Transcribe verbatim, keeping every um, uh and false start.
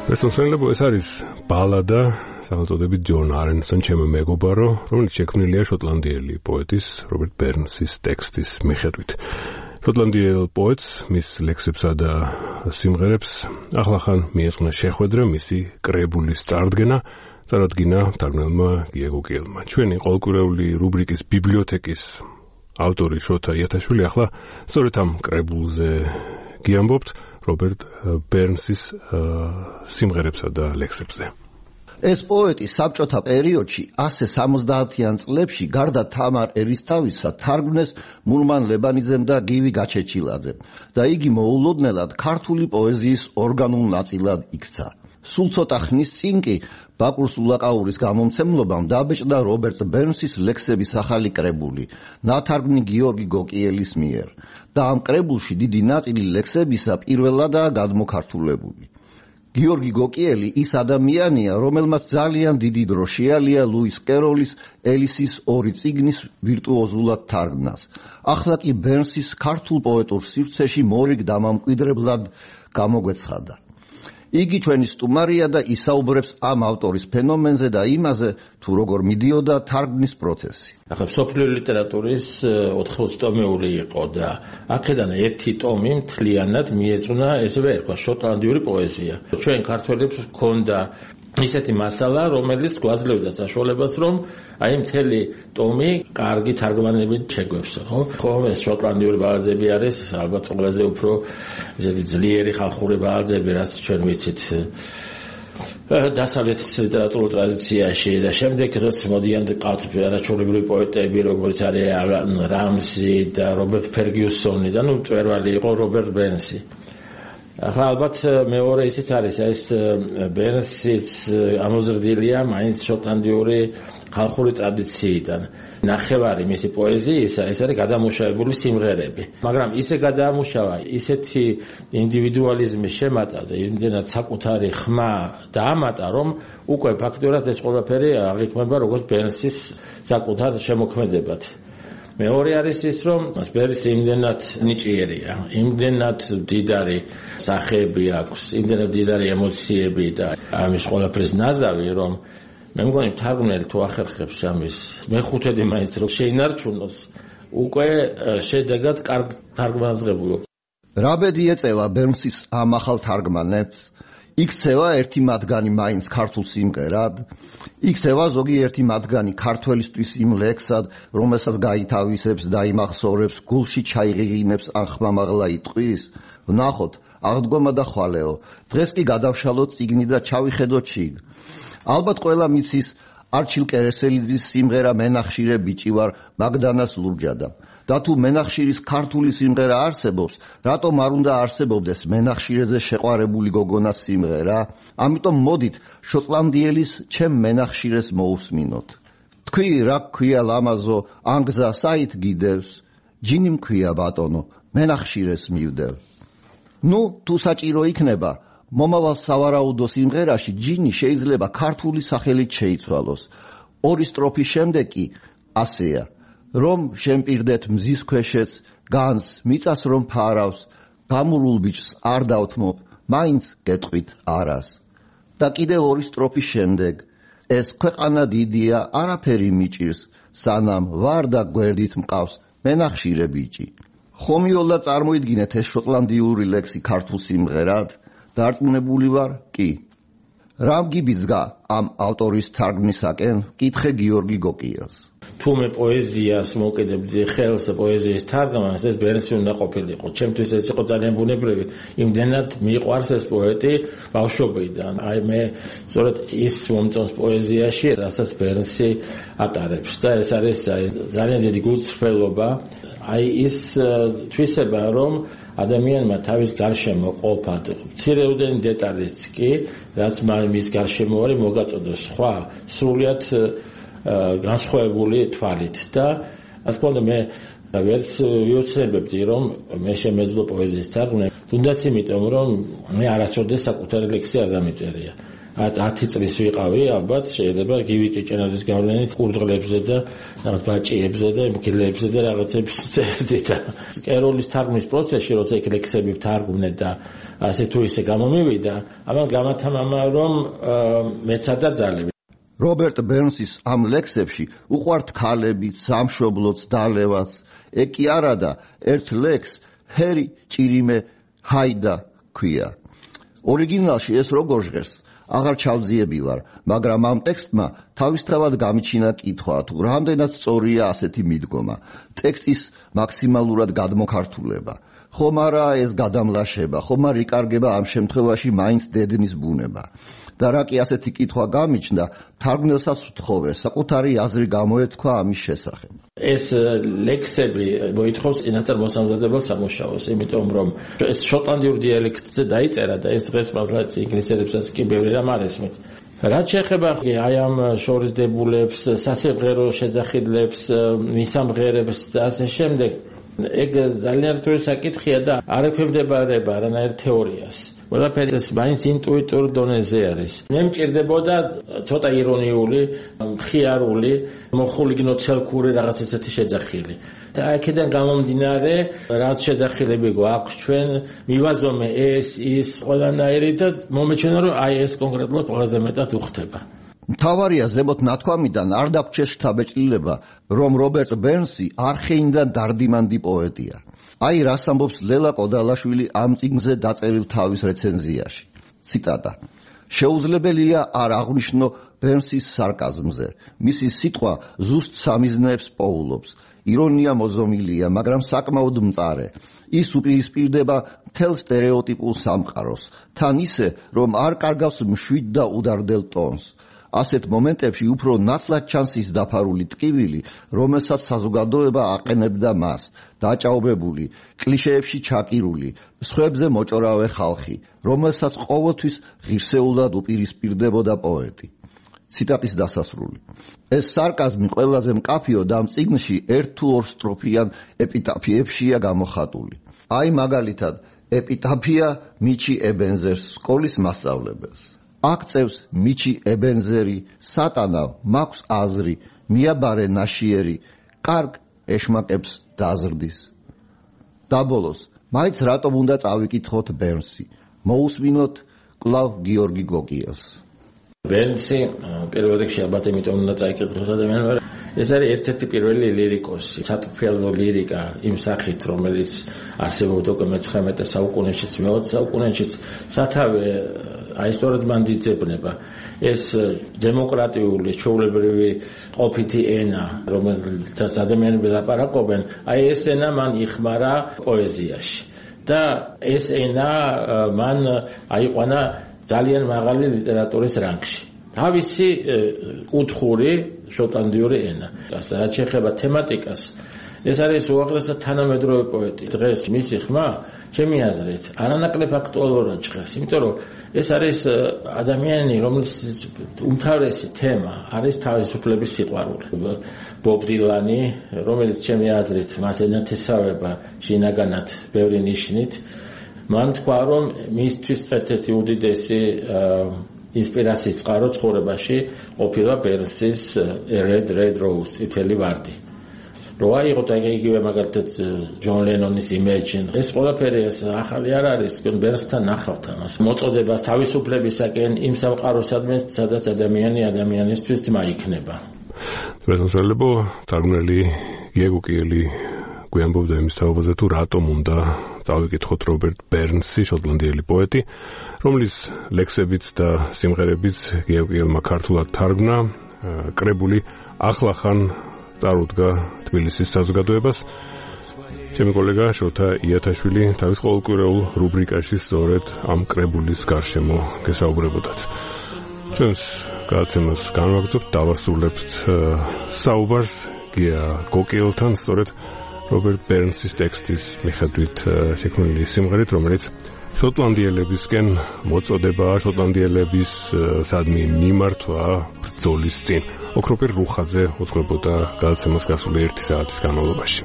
Personally, ეს არის ბალადა, სახელწოდებით ჯონ არენსთან ჩემო მეგობარო, რომელიც შექმნილია შოტლანდიელი პოეტის რობერტ ბერნსის ტექსტის მიხედვით. შოტლანდიელ პოეტს, მის ლექსებსა და სიმღერებს ახლახან მიეძღვნა შეხვედრა მისი კრებულის წარდგენა, წარადგინა მთარგმნელმა გია გოგიელმა. ჩვენი ყოველკვირეული რუბრიკის ბიბლიოთეკის ავტორი შოთა იათაშვილი ახლა სწორედ ამ კრებულზე გიამბობთ რობერტ ბერნსის სიმღერებსა და ლექსებზე. ეს პოეტი საბჭოთა პერიოდში ასე სამოცდაათიან წლებში გარდა თამარ ერისთავისა თარგმნეს მურმან ლებანიძემ და გივი გაჩეჩილაძემ და იგი მოულოდნელად ქართული პოეზიის ორგანულ ნაწილად იქცა. სულ ცოტა ხნის წინ კი ბაკურ სულაკაურის გამომცემლობამ დაბეჭდა რობერტ ბერნსის ლექსების ახალი კრებული, ნათარგმნი გიორგი გოკიელის მიერ და ამ კრებულში დიდი ნაწილი ლექსებისა პირველადაა გადმოქართულებული. გიორგი გოკიელი ის ადამიანია, რომელმაც ძალიან დიდი დრო შეალია ლუის კეროლის ელისის ორი წიგნის ვირტუოზულად თარგმნას. ახლა კი ბერნსის ქართულ პოეტურ სივრცეში მორიგ დამამკვიდრებლად გამოგვეცხადა. იგი ჩვენი სტუმარია და ისაუბრებს ამ ავტორის ფენომენზე და იმაზე, თუ როგორ მიდიოდა თარგმნის პროცესი. ახლა მსოფლიო ლიტერატურის ოთხმოცდაათი იყო და აქედან ერთი ტომი მთლიანად მიეძღვნა ესევე ერქვა შოტლანდიური პოეზია. ჩვენ ქართველებს ჰქონდა ისეთი მასალა, რომელიც გვაძლევდა საშუალებას, რომ აი მთელი ტომი კარგი თარგმანებით შეგვეცო, ხო? ხო, ეს შოტლანდიური ბალადები არის ალბათ ყველაზე უფრო ისეთი ძლიერი ხალხური ბალადები, რაც ჩვენ ვიცით დასავლეთის ლიტერატურულ ტრადიციაში და შემდეგ რაც მოდიან ყავთ არაჩვეულებრივი პოეტები, როგორც არის ალან რამზი და რობერტ ფერგიუსონი და ნუ მწვერვალი იყო რობერტ ბერნსი. ახლა ალბათ მეორე ისიც არის, ეს ბერნსიც ამოზრდილია მაინც შოტლანდიური ხალხური ტრადიციიდან. ნახევარი მისი პოეზიისა ეს არის გადამუშავებული სიმღერები. მაგრამ ისე გადაამუშავა, ისეთი ინდივიდუალიზმი შემატა და იმდენად საკუთარი ხმა დაამატა, რომ უკვე ფაქტურად ეს ყველაფერი აღიქმება როგორც ბერნსის საკუთარ შემოქმედებად. მეორე არის ის, რომ ბერნსი იმდენად ნიჭიერია, იმდენად დიდარი სახეები აქვს, იმდენად დიდარი ემოციები და ამის ყველაფრის ნაზავი, რომ მე მგონი თარგმნელი თუ ახერხებს ამის მეხუთედი მაინც რომ შეინარჩუნოს, უკვე შედეგად კარგ თარგმანს ღებულობ. რა ბედი ეწევა ბერნსის ამ ახალ თარგმანებს? იქცევა ერთი მათგანი მაინც ქართულ სიმღერად, იქცევა ზოგიერთი მათგანი ქართველისთვის იმ ლექსად, რომელსაც გაითავისებს და იმახსოვრებს, გულში ჩაიღიღინებს ან ხმამაღლა იტყვის. ვნახოთ, აღდგომა და ხვალეო, დღეს კი გადავშალოთ წიგნი და ჩავიხედოთ შიგ. ალბათ ყველა მიცის არჩილ კერესელიძის სიმღერა მენახშირე ბიჭი ვარ მაგდანას ლურჯადა. და თუ მენახშირის ქართული სიმღერა არსებობს, რატომ არ უნდა არსებობდეს მენახშირეზე შეყვარებული გოგონას სიმღერა? ამიტომ მოდით შოტლანდიელის ჩემ მენახშირეს მოусმინოთ. თქვი რა ქვია ლამაზო, ანგზა საით გიდევს, ჯინი მქვია ბატონო, მენახშირეს მივდევ. ნუ თუ საჭირო იქნება, მომავალ სავარაუდო სიმღერაში ჯინი შეიძლება ქართული სახელით შეიცვალოს. ორი სტროფის შემდეგ კი ასეა. რომ შემპირდეთ მზის ქვეშეც, განს მიწას რომ ფარავს, გამურულ ბიჭს არ დავთმობ, მაინც გეტყვით არას. და კიდევ ორი სტროფის შემდეგ, ეს ქვეყანა დიდია, არაფერი მიჭირს, სანამ ვარ და გვერდით მყავს მენახშირე ბიჭი. ხომიოლა წარმოიდგინეთ ეს შოტლანდიური ლექსი ქართულ სიმღერად, დარწმუნებული ვარ, კი. რამ გიბიძგა ამ ავტორის თარგმნისაკენ? კითხე გიორგი გოკიელს. თუ მე პოეზიას მოვკიდებდი ხელს პოეზიის თარგმანს, ეს ბერნსი უნდა ყოფილიყო. ჩემთვის ეს იყო ძალიან ბუნებრივი. იმდენად მიყვარს ეს პოეტი ბავშვობიდან. აი მე სწორედ ის მომწონს პოეზიაში, რასაც ბერნსი ატარებს და ეს არის ძალიან დიდი გულწრფელობა. აი ის თვისება, რომ ადამიანმა თავის გარშემო ყოფად მცირეოდენი დეტალიც კი, რაც მის გარშემო არის მოგაწოდოს სხვა სრულიად განსხვავებული თვალით და ასე თქმა უნდა მე ვერც ვიოცნებებდი რომ მე შემეძლო პოეზიის თარგმნა, თუნდაც იმიტომ რომ მე არასოდეს საკუთარი ლექსი არ დამიწერია. ათი წლის ვიყავი, ალბათ შეიძლება გივი ჭეჭენაძის გავლენით ყურდღლებზე და რაღაც ბაჭიებზე და მგლებზე და რაღაცებს წერდი და ეროლის თარგმნის პროცესში, როცა იქ ლექსები ვთარგმნე და ასე თუ ისე გამომივიდა, ამან გამათამამა რომ მეცადა ძალები. რობერტ ბერნსის ამ ლექსებში უყვართ ქალები, სამშობლოც, დალევაც. ეგ კი არა და ერთ ლექს ჰერი ჭირიმე ჰაიდა ქვია. ორიგინალში ეს როგორ ჟღერს? აღარ ჩავძიებილარ, მაგრამ ამ ტექსტმა თავისთავად გამიჩინა კითხვა, თუ რამდენად სწორია ასეთი მიდგომა. ტექსტის მაქსიმალურად გადმოქართულება. ხომ არა ეს გადამლაშება, ხომ არ იკარგება ამ შემთხვევაში მაინც დედნის ბუნება. და რა კი ასეთი კითხვა გამიჩნდა, თარგმნელსაც ვთხოვე, საკუთარი აზრი გამოეთქვა ამის შესახებ. ეს ლექსები მოითხოვს წინასწარ მოსამზადებელ სამუშაოს, იმიტომ რომ ეს შოტლანდიურ დიალექტზე დაიწერა და ეს დღეს მართლაც ინგლისელებსაც კი ბევრი რამ არ ესმით. რაც შეეხება აი ამ შორისდებულებს, სასიმღერო შეძახილებს, მისამღერებს და ასე შემდეგ, ეგ ძალიან რთული საკითხია და არ ექვემდებარება არანაირ თეორიას. ყველაფერი ეს მაინც ინტუიტურ დონეზე არის. მე მჭირდებოდა ცოტა ირონიული, მხიარული, მოხულიგნო ცელქური რაღაც ესეთი შეძახილი. და აქედან გამომდინარე, რაც შეძახილები გვაქვს ჩვენ, მივაზომე ეს, ის, ყველანაირი და მომეჩვენა რომ აი ეს კონკრეტულად ყველაზე მეტად უხდება. მთავარია ზემოთ ნათქვამიდან არ დაგვრჩეს შთაბეჭდილება, რომ რობერტ ბერნსი არხეინდან დარდიმანდი პოეტია. აი რას ამბობს ლელა კოდალაშვილი ამ წიგნზე დაწერილ თავის რეცენზიაში. ციტატა: შეუძლებელია არ აღვნიშნო ბერნსის სარკაზმზე. მისი სიტყვა ზუსტ სამიზნეებს პოულობს. ირონია მოზომილია, მაგრამ საკმაოდ მწარე. ის უპირისპირდება მთელ სტერეოტიპულ სამყაროს, თან ისე, რომ არ კარგავს მშვიდ და udardel ტონს. ასეთ მომენტებში უფრო ნათლად ჩანს ის დაფარული ტკივილი, რომელსაც საზოგადოება აყენებდა მას, დაჭაობებული, კლიშეებში ჩაკირული, სხვებზე მოჭორავე ხალხი, რომელსაც ყოველთვის ღირსეულად უპირისპირდებოდა პოეტი. ციტატის დასასრული. ეს სარკაზმი ყველაზე მკაფიო და ამ წიგნში ერთ თუ ორ სტროფიან ეპიტაფიებშია გამოხატული. აი მაგალითად, ეპიტაფია მიჩი ებენზერს, სკოლის მასწავლებელს. აქ წევს მიჩი ებენზერი, სატანა მაქვს აზრი, მიაბარე ნაშიერი, კარგ ეშმაკებს დაზრდის. დაბოლოს, მაინც რატომ უნდა წავიკითხოთ ბერნსი, მოусმინოთ კლავ გიორგი გოგიას. ბერნსი პირველ რიგში ალბათ იმიტომ უნდა წაიკითხოს ადამიანმა, ეს არის ერთ-ერთი პირველი ლირიკოსი, სატყფიალო ლირიკა იმ სახით, რომელიც არსებობდა უკვე მეცხრამეტე საუკუნეშიც, მეოცე საუკუნეშიც, სათავე აი სწორედ მან დიძებნება. ეს დემოკრატიული, ჩვეულებრივი ყოფითი ენა, რომელსაც ადამიანები ლაპარაკობენ, აი ეს ენა მან იხმარა პოეზიაში. და ეს ენა მან აიყვანა ძალიან მაღალი ლიტერატურის რანგში. თავისი კუთხური შოტლანდიური ენა. და რაც შეეხება თემატიკას, ეს არის უაღრესად თანამედროვე პოეტი. დღეს მისი ხმა, ჩემი აზრით, არანაკლებ აქტუალურად ჟღერს, იმიტომ რომ ეს არის ადამიანი, რომლის უმთავრესი თემა არის თავისუფლების სიყვარული. ბობ დილანი, რომელიც ჩემი აზრით მას ენათესავება შინაგანად ბევრი ნიშნით, მან თქვა, რომ მისთვის ერთ-ერთი უდიდესი ინსპირაციის წყარო ცხოვრებაში ყოფილა ბერნსის Red Red Rose, წითელი ვარდი. რო აიღოთ იგივე მაგალითად ჯონ ლენონის Imagine. ეს ყველაფერი ეს ახალი არ არის, თქო ბერნსთან ნახავთ ამას. მოწოდებას თავისუფლებისაკენ იმ სამყაროსადმე, სადაც ადამიანი ადამიანისთვის ძმა იქნება. რეზოლუცია თარგმნელი გიეგო კიელი გვიამბობდა იმის თაობაზე, თუ რატომ უნდა წავიკითხოთ რობერტ ბერნსი, შოტლანდიელი პოეტი, რომლის ლექსებიც და სიმღერებიც გიეგო კიელმა ქართულად თარგმნა, კრებული ახლახან წარუდგა თბილისის საზოგადოებას. ჩემი კოლეგა შოთა იათაშვილი თავის ყოველკვირეულ რუბრიკაში სწორედ ამ კრებულის გარშემო გესაუბრებოდათ. ჩვენს გადაცემას განვაგრძობთ, დავასრულებთ საუბარს გია გოკიელთან, სწორედ რობერტ ბერნსის ტექსტის მიხედვით შექმნილი სიმღერით, რომელიც შოტლანდიელებისკენ მოწოდება, შოტლანდიელების სადმი მიმართვა ბრძოლის წინ. ოქროპირ რუხაძე უძღვებოდა გადაცემას გასული ერთი საათის განმავლობაში.